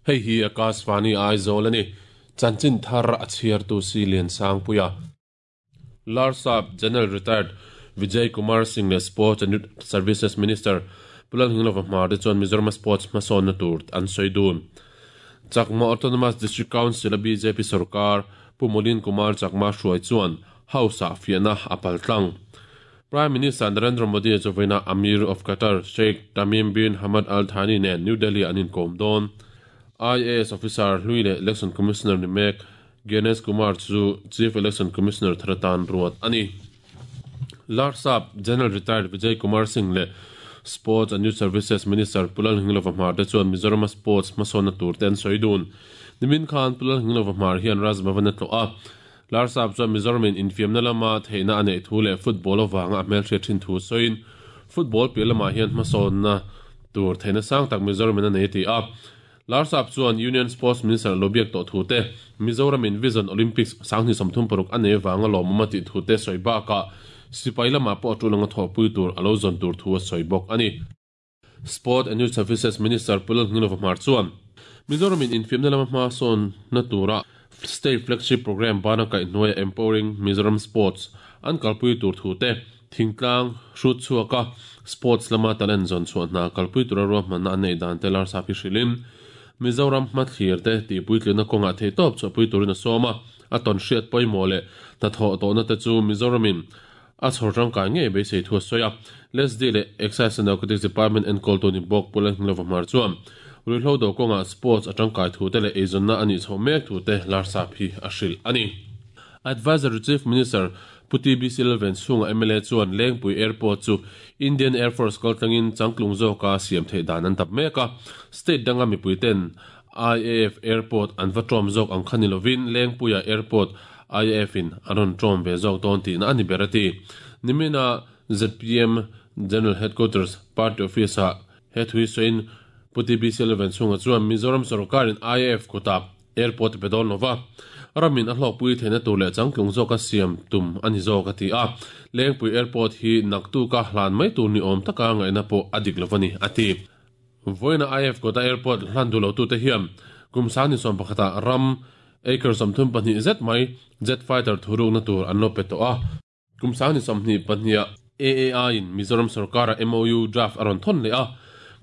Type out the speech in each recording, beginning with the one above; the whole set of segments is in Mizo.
Hei hi Akashvani Aizawl a ni. Chanchin thar a chhiartu si Liansangpuia. Larsap General Retired Vijay Kumar Singh leh Sports and Youth Services Minister Pu Lalnghinglova Hmar te chuan Mizoram-a sports hmasawnna tur an sawi dun. Chakma Autonomous District Council-a bjp sorkar Pu Molin Kumar Chakma hruai chuan House-ah fiahna a pal tlang. Prime Minister Narendra Modi chu vawiinah Amir of Qatar Sheikh Tamim bin Hamad Al Thani nen New Delhi-ah an inkawm dawn. IAS officer hlui leh Election Commissioner ni mek Gyanesh Kumar chu Chief Election Commissioner thar atan ruat a ni. Larsap General Retired Vijay Kumar Singh leh Sports and Youth Services Minister Pu Lalnghinglova Hmar te chuan Mizoram-a sports hmasawnna tur te an sawi dun. Nimin khan Pu Lalnghinglova Hmar hian Raj Bhavan a tlawh a. Larsap chuan Mizoram-in infiamna lama theihna a neih thu leh football avanga a hmelhriat thin thu sawiin football piah lamah hian hmasawnna tur theihna sang tak Mizoram-in a nei a ti a. Larsap chuan Union Sports Minister lo biak tawh thu te, Mizoramin Vision Olympics 2036 a nei vanga lawmawm a tih thu te sawi bakah sipai lamah pawh a tul anga thawhpui tur a lo zawn tur thu a sawi bawk a ni. Sport and Youth Services Minister Pu Lalnghinglova Hmar chuan Mizoramin infiamna lama hma sawnna tura State Flagship Programme bana kaihhnuaia Empowering Mizoram Sports an kalpui tur thu te, Thingtlang hrut chhuaka sports lama talent zawn chhuah hna kalpui tura ruahmanna an neih dan te Larsap hi hrilhin Mizoram hmathlir te tihpuitlina kawngah theihtawp chhuahpui turin a sawm a, a tawn hriat pawimawh leh hnathawh tawhna te chu Mizoramin a chhawr tangkai ngei beisei thu a sawi a. LSD leh Excise and Narcotics Department enkawltu ni bawk Pu Lalnghinglova Hmar chuan ruihhlo do kawngah sports a tangkai thu te leh eizawnna a nih chhoh mek thu te Larsap hi a hrilh a ni. Advisory Chief Minister Pu TBC Lalvenchhunga mla chuan Lengpui Airport chu Indian Air Force kaltlangin changtlung zawka siam theih dan an dap mek a. State danga mipuiten IAF Airport an va ṭawm zawk ang kha ni lovin Lengpuia Airport IAF in an rawn ṭawm ve zawk dawn tihna a ni ber a ti. Nimina zpm General Headquarters Party Office-ah he thu hi sawiin Pu TBC Lalvenchhunga chuan Mizoram sawrkarin IAF kutah Airport a pe dawn lo va, ramin a hlawkpui theihna tur leh changtlung zawka siam tum a ni zawk a ti a. Lengpui Airport hi naktuka hlan mai tur ni awm taka ngaihna pawh a dik lo a ni, a ti. Vawiina IF Kota Airport hlan duh lotute hian kum 2011 ah ram acre 32 zet mai jet fighter thurukna tur an lo pe tawh a. Kum 2022 ah AAI in Mizoram sorkara MOU draft a rawn thawn leh a,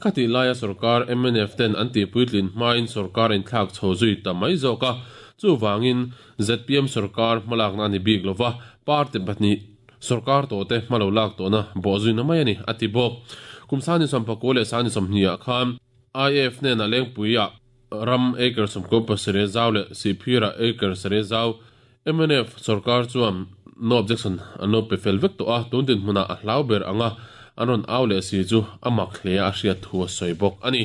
khatih laia sorkar mnf ten an tihpuitlin hmain sorkar a inthlak chho zui ta mai zawk a, chuvangin zpm sorkar hmalakna a ni bik lova, party pahnih sorkar tawhte hma lo lak tawhna bawhzuina mai a ni, a ti bawk. Kum 2019 leh 2020 ah khan IAF hnenah Lengpuiah ram acre 17 zau leh Sihphirah acre sarih zau Mnf sorkar chuan no objection an lo pe fel vek tawh a, tun dinhmunah a hlau ber anga an rawn au leh si chu a mak hle a hriat thu a sawi bawk a ni.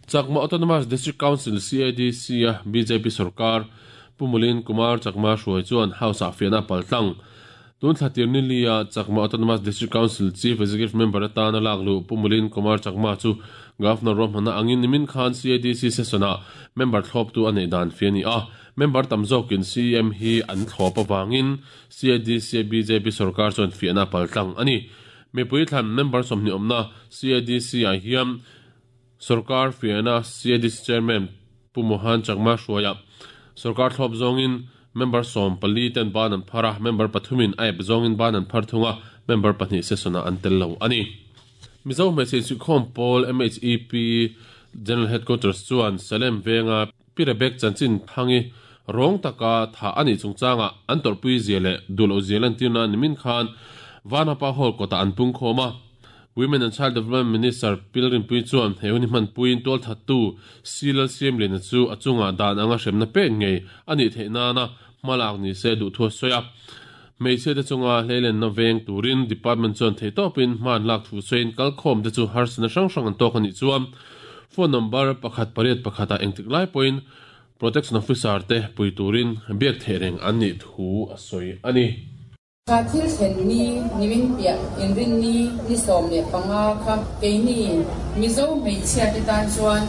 Chakma Autonomous District Council, CADC, a bjp sorkar Pu Mulin Kumar Chakma hruai chuan House-ah fiahna a pal tlang. Tun thla tir ni lia Chakma Autonomous District Council Chief Executive Member atana lak luh Pu Mulin Kumar Chakma chu Governor ruahmanna angin nimin khan CADC session-ah member thlawptu a neih dan fi a ni a. Member tam zawkin CEM hi an thlawp avangin CADC-a bjp sorkar chuan fiahna a pal tlang a ni. Mipui thlan member 20 awmna CADC-ah hian sorkar fiahna CADC Chairman Pu Mohan Chakma hruaiah sorkar thlawp zawngin member 14 ten ban an phar a, member pathumin a ep zawngin ban an phar thung a, member pahnih session-ah an tel lo a ni. Mizo Hmeichhe Insuihkhawm Pawl, MHEP, General Headquarters chuan Salem venga Pi Rebek chanchin thangi rawng taka thah a nih chungchangah an tawrhpui zia leh duh loh zia lantirna nimin khan Vanapa Hall kawtah an pungkhawm a. Women and Child Development Minister Pilrinpui chuan he hun hi hmanpuiin tualthattu Si Lalsiamliana chu a chungah dan anga hremna pek ngei a nih theih nana hmalak ni se duh thu a sawi a. Hmeichhia te chunga hleilenna veng turin Department chuan theihtawpin hma an lak thu sawiin kalkhawm te chu harsatna hrang hrang an tawk a nih chuan phone number pakhat pariat pakhat ah engtik lai pawhin Protection Officer te pui turin biak theih reng an nih thu a sawi a ni. Kha thil thlen ni nimin piah inrinni ni 15 kha keini Mizo hmeichhia te tan chuan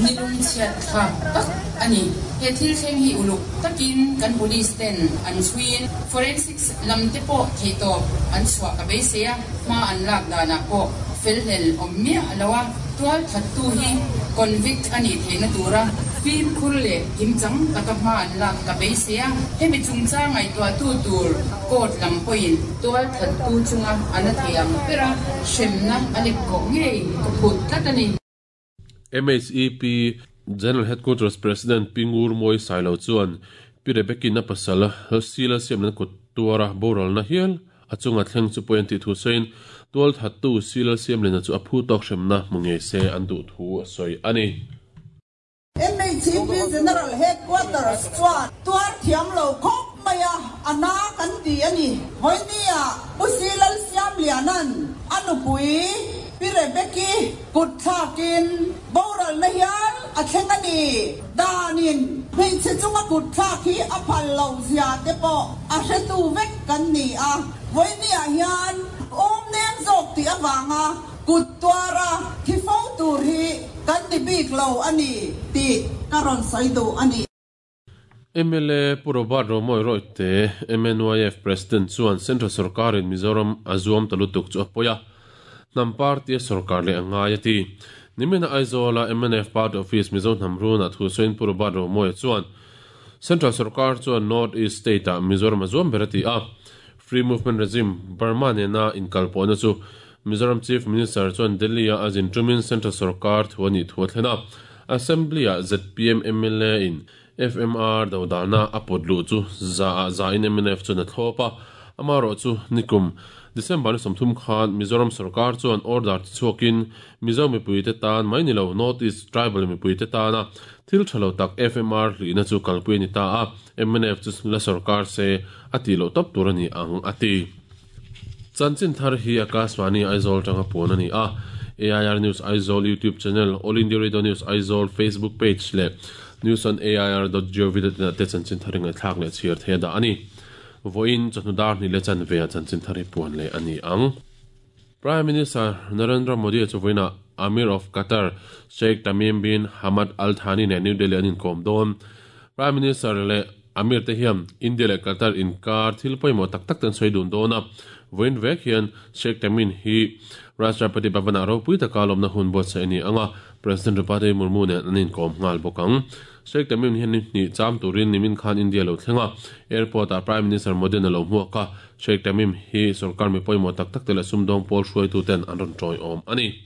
Ni lungchhiat thlak tak a ni. He thil thleng hi uluk takin kan police ten an chhuiin forensics lam te pawh theihtawp an chhuah ka beisei a, hma an lak danah pawh felhlel awm miah lo a, tual thattu hi convict a nih theihna tura fimkhur leh kimchang taka hma an lak ka beisei a, hemi chungchang ngaihtuahtu tur court lam pawhin tual thattu chunga a na thei ang bera hremna a lek kawh ngei ka phut tlat a ni. MHEP General Headquarters President Pi Ngur Mawi Sailo chuan Pi Rebecca-in a pasal Sila siamna kut tuara boralna hial a chunga thleng chu pawi an tih thu sawiin tualthattu Sila Siamlina chu a phu tawk hremna hmu ngei se an duh thu a sawi a ni. MHEP General Headquarters chuan tuar thiam lo khawp mai a, a na kan ti a ni. Vawinia Pu Silal Siamliana'n a nupui Pi Rebecca-i kut thlakin boralna hial a thleng a ni. Danin hmeichhe chunga kut thlak hi a phal lo zia te pawh a hretu vek kan ni a. Vawinia hian awm nem zawk tih avanga kut tuara thi fo tur hi kan ni bik lo a ni tih ka rawn sawi duh a ni. Mla Pu Robert Romawia Royte, MNYF President chuan Central sorkarin Mizoram a zuam ta lutuk chu a pawi a, hnam party a sorkar leh a ngai a ti. Nimina Aizawla mnf Party Office Mizo hnam runah thu sawiin Pu Robert Romawia chuan Central sorkar chuan North East State-ah Mizoram a zuam ber a ti a, Free Movement Regime Burma nena inkalpawhna chu Mizoram Chief Minister chuan Delhi-a a zin tumin Central sorkar thu a nih thu a thlen a, Assembly-ah zpm mla in FMR dodalna a pawt luh chu za-ah za-in mnf chuan a thlawp a, amaherawhchu nikum December ni 30 khan Mizoram sorkar chuan order ti chhuakin Mizo mipuite tan mai ni lo North East tribal mipuite tana thil tha lo tak FMR hlihna chu kalpui a ni ta a, mnf chu la sorkar se a tih loh tawp tur a ni ang a ti. Chanchin thar hi Akashvani Aizawl tanga puan a ni a, AIR News Aizawl YouTube channel, All India Radio News Aizawl Facebook page leh News on AIR dot gov dot in ah te chanchin thar hi ngaihthlak leh chhiar thei a dah a ni. Vawiin chawhnu dar hnih leh chanve ah chanchin thar hi puan leh a ni ang. Prime Minister Narendra Modi chu vawiinah Amir of Qatar Sheikh Tamim bin Hamad Al Thani nen New Delhi an inkawm dawn. Prime Minister leh Amir te hian India leh Qatar inkar thil pawimawh tak tak te an sawi dun dawn a, vawiin vek hian Sheikh Tamim hi Rashtrapati Bhavan-ah ropui taka lawmna hun buatsaih a ni ang a, President Draupadi Murmu nen an inkawm nghal bawk ang. Sheikh Tamim hian ni hnih cham turin nimin khan India lo thleng a, airport-ah Prime Minister Modi-an a lo hmuak a, Sheikh Tamim hi sorkar mi pawimawh tak tak te leh sumdawng pawl hruaituten an rawn tawiawm a ni.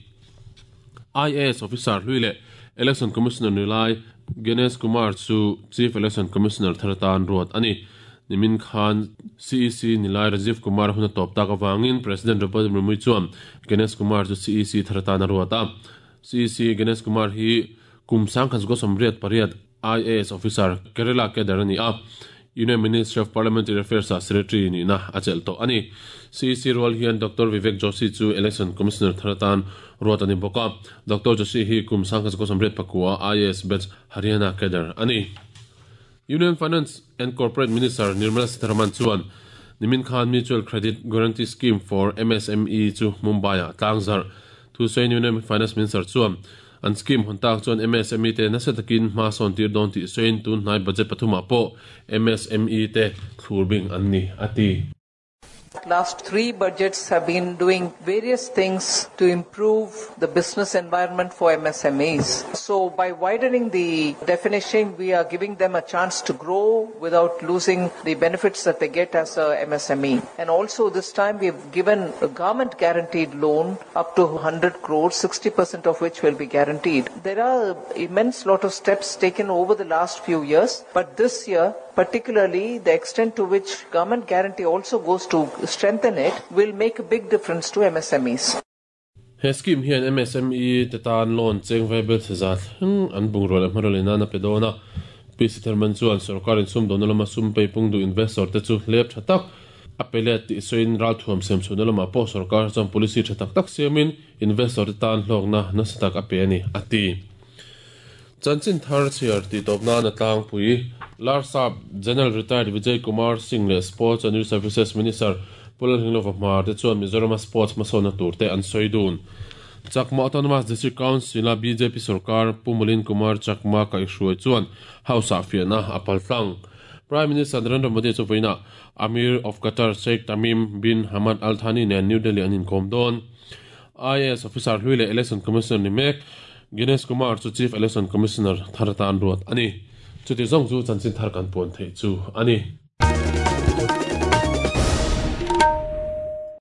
IAS officer hlui leh Election Commissioner ni lai Ganesh Kumar chu Chief Election Commissioner thar atan ruat a ni. Nimin khan CEC ni lai Rajiv Kumar hun a tawp tak avangin President Draupadi Murmu chuan Ganesh Kumar chu CEC thar atan a ruat a. CEC Ganesh Kumar hi kum 1988 IAS officer Kerala cadre a ni a, Union Ministry of Parliamentary Affairs-ah Secretary nihna a chelh tawh a ni. CEC rual hian Doctor Vivek Joshi chu Election Commissioner thar atan ruat a ni bawk a. Doctor Joshi hi kum 1989 IAS batch Haryana cadre a ni. Union Finance and Corporate Minister Nirmala Sitharaman chuan nimin khan Mutual Credit Guarantee Scheme for MSME chu Mumbai-ah tlangzarh thu sawiin Union Finance Minister chuan An scheme hawn tak chuan MSME te nasa takin hma sawn tir dawn tih sawiin tun hnai budget pathumah pawh MSME te thlur bing an ni, a ti. Last three budgets have been doing various things to improve the business environment for MSMEs. So by widening the definition, we are giving them a chance to grow without losing the benefits that they get as a MSME. And also this time we have given a government guaranteed loan up to 100 crores, 60% of which will be guaranteed. There are immense lot of steps taken over the last few years, but this year, particularly the extent to which government guarantee also goes to strengthen it, will make a big difference to MSMEs. He scheme hian MSME te tan loan cheng vai bel chhe za thleng an bungrua leh hmanraw lei nan a pe dawn a. Pi Sitharaman chuan sorkar insumdawnna lama sum peipung duh investor te chu hlep tha tak a pe let tih sawiin ralthuam siam chhuahna lamah pawh sorkar chuan policy tha tak tak siamin investor te tan hlawkna nasa tak a pe a ni, a ti. Chanchin thar chhiar tih tawp nan a tlangpui Larsap General Retired Vijay Kumar Singh leh Sports and Youth Services Minister Pu Lalhinglova Hmar te chuan Mizorama sports hmasawnna tur te an sawi dun. Chakma Autonomous District Council-a bjp sorkar Pu Mulin Kumar Chakma kaihhruai chuan House-ah fiahna a paltlang. Prime Minister Narendra Modi chu vawiinah Amir of Qatar Sheikh Tamim bin Hamad Al Thani nen New Delhi an inkawm dawn. IAS officer hlui leh Election Commissioner ni mek Gyanesh Kumar chu Chief Election Commissioner thar atan ruat a ni. Chuti zawng chu chanchin thar kan puan theih chu a ni.